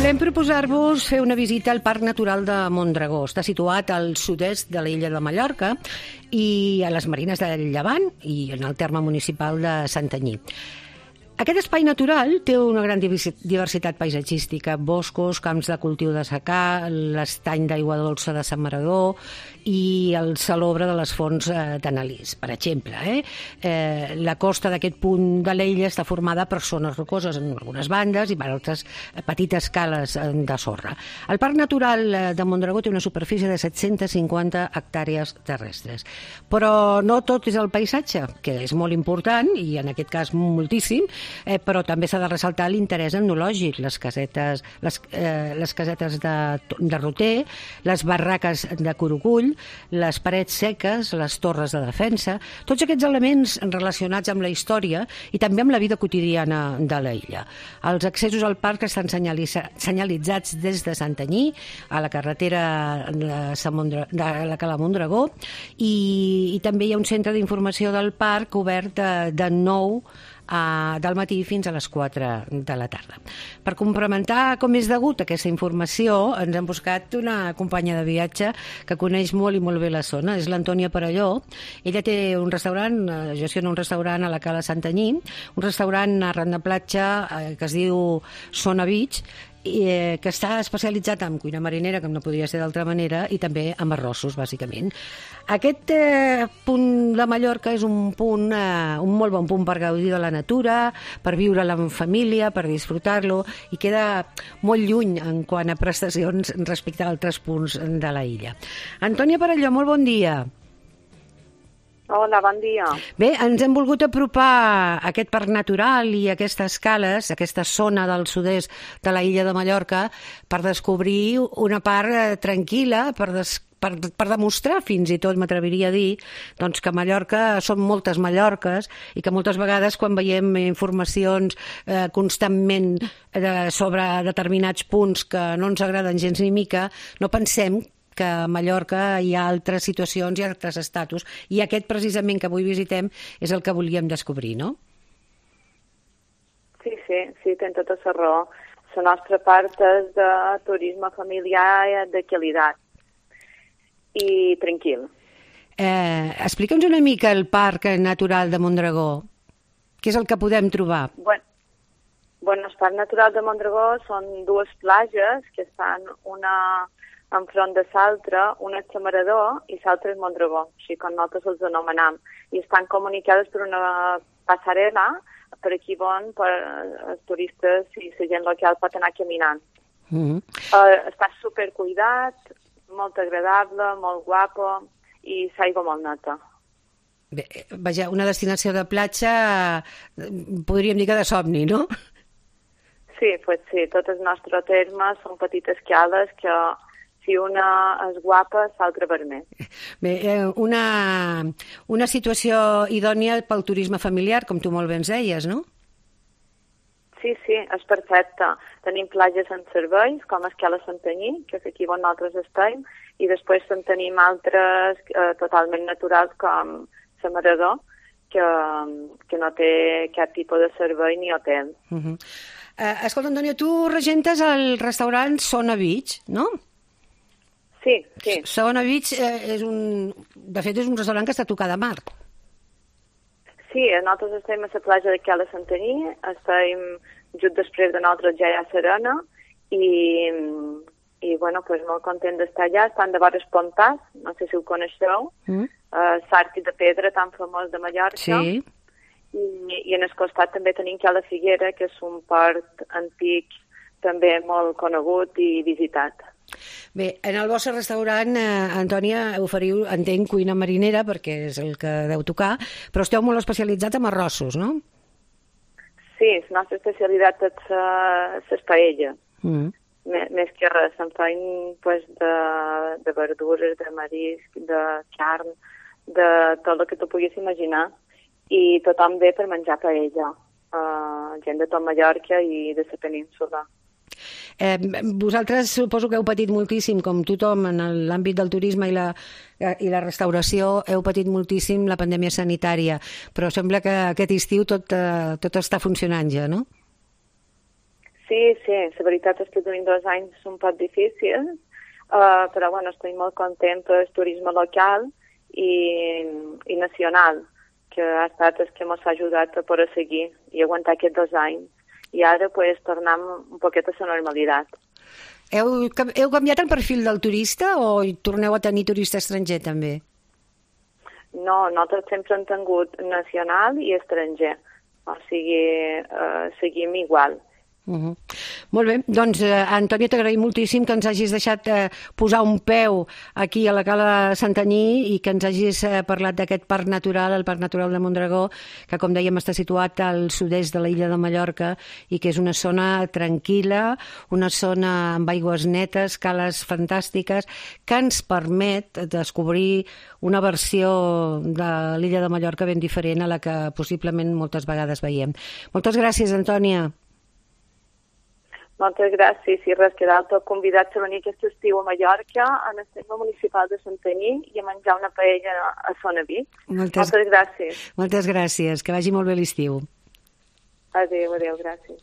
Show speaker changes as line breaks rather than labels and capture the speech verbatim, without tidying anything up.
Volem proposar-vos fer una visita al Parc Natural de Mondragó. Està situat al sud-est de l'illa de Mallorca i a les Marines del Llevant i en el terme municipal de Santanyí. Aquest espai natural té una gran diversitat paisatgística, boscos, camps de cultiu de secà, l'estany d'aigua dolça de Sant Maradó i el salobre de les fonts d'Analís, per exemple. Eh? Eh, la costa d'aquest punt de l'illa està formada per zones rocoses en algunes bandes i per altres petites cales de sorra. El Parc Natural de Mondragó té una superfície de set-centes cinquanta hectàrees terrestres. Però no tot és el paisatge, que és molt important, i en aquest cas moltíssim, Eh, però també s'ha de ressaltar l'interès etnològic, les casetes, les, eh, les casetes de, de roter, les barraques de Curucull, les parets seques, les torres de defensa, tots aquests elements relacionats amb la història i també amb la vida quotidiana de l'illa. Els accessos al parc estan senyalitzats des de Santanyí a la carretera de, Samondra, de la Cala Mondragó i, i també hi ha un centre d'informació del parc obert de, de nou Uh, del matí fins a les quatre de la tarda. Per complementar com és degut aquesta informació, ens hem buscat una companya de viatge que coneix molt i molt bé la zona, és l'Antònia Perelló. Ella té un restaurant, gestiona un restaurant a la Cala Santanyí, un restaurant arran de platja eh, que es diu Sona Beach, i, eh, que està especialitzat en cuina marinera, com no podria ser d'altra manera, i també amb arrossos, bàsicament. Aquest eh, punt de Mallorca és un punt, eh, un molt bon punt per gaudir de la natura, per viure-la en família, per disfrutar-lo, i queda molt lluny en quant a prestacions respecte a altres punts de la illa. Antònia Perelló, molt bon dia.
Hola, bon dia.
Bé, ens hem volgut apropar a aquest parc natural i a aquestes cales, aquesta zona del sud-est de la illa de Mallorca, per descobrir una part eh, tranquil·la, per, des, per, per demostrar fins i tot, m'atreviria a dir, doncs que Mallorca són moltes Mallorques i que moltes vegades quan veiem informacions eh, constantment eh, sobre determinats punts que no ens agraden gens ni mica, no pensem que a Mallorca hi ha altres situacions i altres estatus, i aquest precisament que avui visitem és el que volíem descobrir, no?
Sí, sí, sí, tens tota la raó. La nostra part és de turisme familiar de qualitat i tranquil.
Eh, Explica'ns una mica el Parc Natural de Mondragó. Què és el que podem trobar?
Bueno, bueno, el Parc Natural de Mondragó són dues platges que estan una enfront de l'altra, una és Samarador i l'altra és Mondragó, així com nosaltres els anomenam, i estan comunicades per una passarel·la per aquí on per els turistes i la gent local pot anar caminant. Mm-hmm. uh, està supercuidat, molt agradable, molt guapo i l'aigua molt neta.
Bé, vaja, una destinació de platja, podríem dir que de somni, no?
Sí, pues sí, tot el nostre terme són petites cales que si una és guapa, l'altra vermell.
Bé, eh, una, una situació idònia pel turisme familiar, com tu molt bé ens deies, no?
Sí, sí, és perfecte. Tenim platges en serveis, com Escala Santanyí, que és aquí on nosaltres estem, i després en tenim altres eh, totalment naturals, com Samarador, que, que no té cap tipus de servei ni hotel.
Uh-huh. eh, escolta, Antònia, tu regentes el restaurant Sona Beach, no?
Sí, sí.
Sona Beach eh, és un... De fet, és un restaurant que està a tocar de mar.
Sí, nosaltres estem a la platja de Cala Santanyí, estem just després de nosaltres ja a Serena i, i bueno, pues molt content d'estar allà. Estan de vores Pontàs, no sé si ho coneixeu, mm. uh, l'Arc de Pedra tan famós de Mallorca.
Sí.
I, i en el costat també tenim Cala Figuera, que és un port antic també molt conegut i visitat.
Bé, en el vostre restaurant, eh, Antònia, oferiu, entenc, cuina marinera, perquè és el que deu tocar, però esteu molt especialitzats en arrossos, no?
Sí, la nostra especialitat és les paelles. Mm. Més que res, en feim pues, de, de verdures, de marisc, de carn, de tot el que tu puguis imaginar. I tothom ve per menjar paella. Uh, gent de tot Mallorca i de la península.
Eh, vosaltres suposo que heu patit moltíssim, com tothom en l'àmbit del turisme i la, i la restauració, heu patit moltíssim la pandèmia sanitària, però sembla que aquest estiu tot, eh, tot està funcionant ja, no?
Sí, sí, la veritat és que tenim dos anys un poc difícils, uh, però bueno, estic molt content pel turisme local i, i nacional, que ha estat el que ens ha ajudat a poder seguir i aguantar aquests dos anys. I ara pues, tornem un poquet a la normalitat.
Heu, heu canviat el perfil del turista o torneu a tenir turista estranger també?
No, nosaltres sempre hem tingut nacional i estranger, o sigui, uh, seguim igual.
Uh-huh. Molt bé, doncs eh, Antònia, t'agraïm moltíssim que ens hagis deixat eh, posar un peu aquí a la Cala de Santanyí i que ens hagis eh, parlat d'aquest parc natural, el Parc Natural de Mondragó, que com dèiem està situat al sud-est de l'illa de Mallorca i que és una zona tranquil·la, una zona amb aigües netes, cales fantàstiques, que ens permet descobrir una versió de l'illa de Mallorca ben diferent a la que possiblement moltes vegades veiem. Moltes gràcies, Antònia.
Moltes gràcies i res que d'altre convidats a venir aquest estiu a Mallorca, a el centre municipal de Santanyí i a menjar una paella a Zona Vic. Moltes, moltes gràcies.
Moltes gràcies, que vagi molt bé l'estiu.
Adéu, adéu, gràcies.